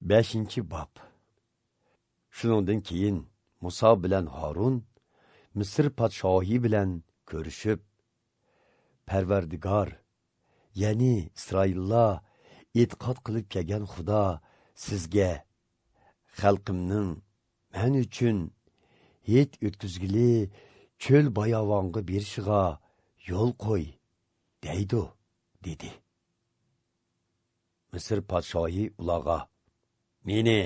5-bob. Shuningdan keyin Musa bilan Harun Misr podshohi bilan ko'rishib, Parvardigor, ya'ni Isroillar e'tiqod qilib kelgan Xudo sizga xalqimning men uchun hech o'tkazgili cho'l bayovonga berishiga yo'l qo'y deydi, dedi. Misr podshohi ularga: "Meni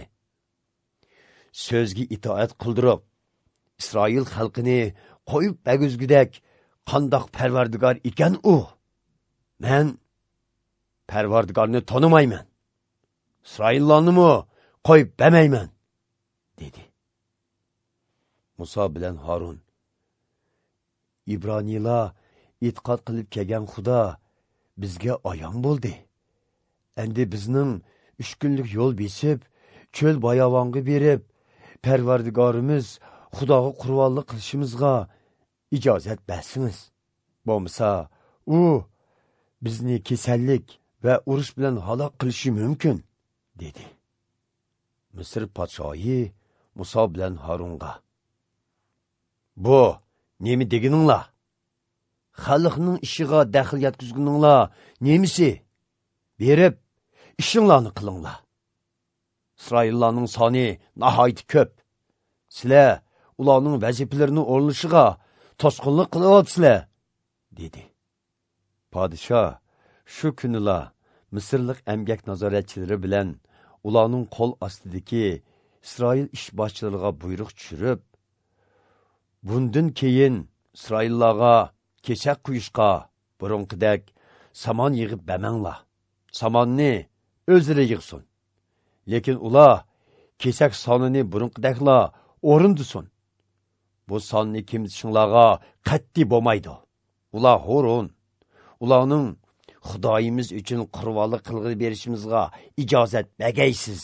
so'zga itoat qildirib, Isroil xalqini qo'yib baguzgudek qandoq Parvardigor ekan u? Men Parvardigorni tanimayman. Isroillarni qo'yib bermayman", dedi. Musa bilan Harun: "Ibroniylar e'tiqod qilib kelgan Xudo bizga ayon bo'ldi. Endi bizning 3 kunlik yo'l besib, cho'l bayovonga berib, Parvardigorimiz Xudoga qurbonlik qilishimizga ijozat bersingiz. Bo'lmasa, u bizni kasallik va urush bilan halok qilishi mumkin", dedi. Misr podshohi Musa bilan Harunga: "Bu nima deganinglar? Xalqning ishiga daxl yetkazganinglar nemisi? Berib ishinglarni qilinglar. Isroillarning soni nihoyat ko'p. Sizlar ularning vazifalarini o'rinlashiga to'sqinlik qilyapsizlar", dedi. Podsho shu kunila Misrlik emgak nazoratchilari bilan ularning qo'l ostidagi Isroil ishboshchilariga buyruq tushirib, bundan keyin Isroillarga kesak quyishga burunqidek samon yig'ib bermanglar. Samonni o'zlari yig'sin. Lekin ular kesak sonini burunqidakla o'rindisin. Bu sonni kemtishinglarga qat'iy bo'lmaydi. Ular xo'rin. Ularning Xudoyimiz uchun qurbonlik qilg'ili berishimizga ijozat bergaysiz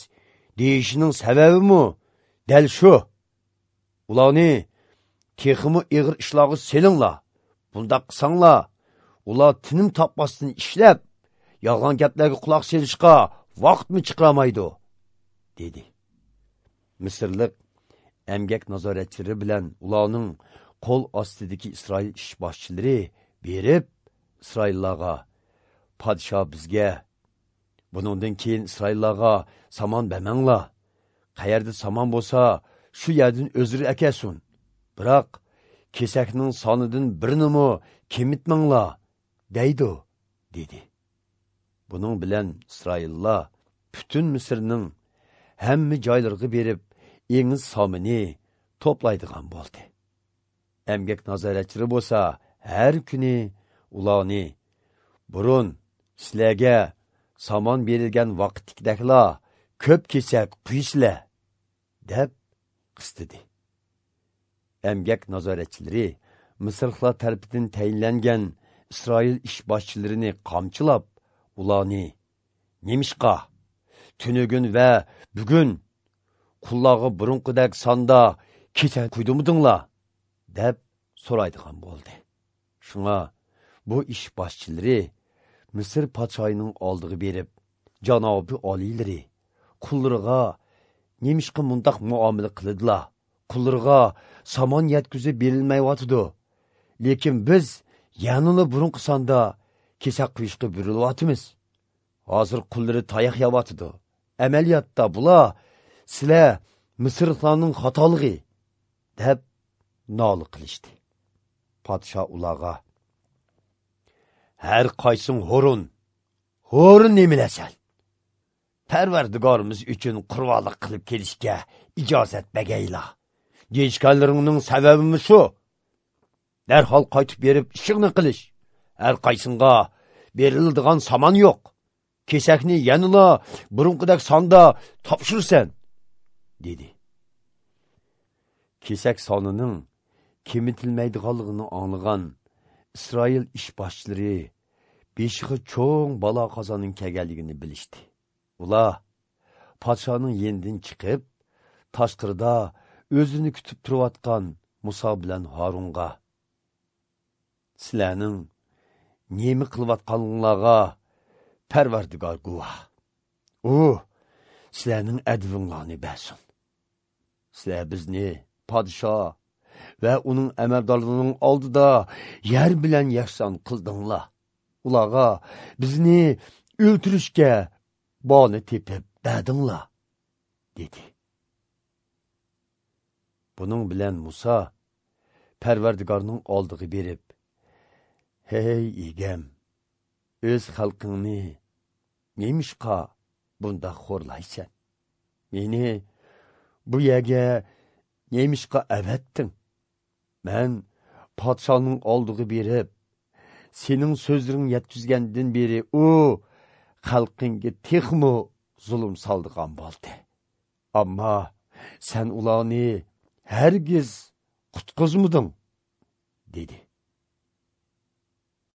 deyishining sababimi dal shu. Ularni texmi ig'ir ishlarga selinglar. Bundaq qilsanglar, ular tinim topmasdan ishlab, yolg'on gaplarga quloq solishga vaqtmi chiqaramaydi, dedi. Misrlik emgak nazoratchilari bilan ularning qo'l ostidagi Isroil ishboshchilari berib, Isroillarga: "Podsho bizga buningdan keyin Isroillarga somon bermanglar. Qayerda somon bo'lsa, shu yerdan o'zlari akasin. Biroq kesakning sonidan birinimi kemitmanglar", deydi, dedi. Buning bilan Isroillar butun Misrning hamma joylariga berib, engiz somini to'playdigan bo'ldi. Emgak nazoratchilari bo'lsa, har kuni ularni: "Burun sizlarga somon berilgan vaqtdagidakla ko'p kesak quysizlar", deb qistidi. Emgak nazoratchilari Misrliklar tarafidan tayinlangan Isroil ishboshchilarini qamchilab, ularni: "Nemishqa tunugun va bugun qullarga burunqidek sonda kesak quydimidinglar?" deb so'raydigan bo'ldi. Shunga bu ish boshchilari Misr podshohining oldiga berib, janobi oliylari qullariga nemishqa mundaq muomala qildilar? Qullariga somon yetkazib berilmayotidi. Lekin biz yanada burunqi sonda kesak quyishga buyurilyapmiz. Hozir qullari tayoq yeyotidi. Amaliyotda bular sizlar Misrliklarning xatoligi, deb nola qilishdi. Podsho ularga: "Har qaysing xo'rin, xo'rin nemilasan? Parvardigorimiz uchun qurbonlik qilib kelishga ijozat bergaylar. Deyishganlaringning sababimi shu? Darhol qaytib berib ishingni qilish. Har qaysinga beriladigan somon yo'q. Kesakni yanala burunqidek sonda topshirsan", dedi. Kesak sonining kemitilmaydiganligini anglagan Isroil ishboshchilari beshig'i cho'ng balo qazoning kelganligini bilishdi. Ular podshoning yenidan chiqib, tashqarida o'zini kutib turayotgan Musa bilan Harunga: "Sizlarning nima qilayotganinglarga Parvardigor guvoh. U Sizlarning advinglarni bersin. Sizlar bizni podsho va uning amaldorlarining oldida yer bilan yakson qildinglar. Ularga bizni o'ltirishga boni tepib berdinglar, dedi. Buning bilan Musa Parvardigorning oldiga berib, "Hey egam, o'z xalqingni nemishqa bundaq xo'rlaysan? Meni bu yerga nemishqa avatding? Men podshoning oldiga berib, sening so'zlaring yetkazgandan beri u xalqingga texmi zulm soldigan bo'ldi. Ammo sen ularni hargiz qutqizmiding?" dedi.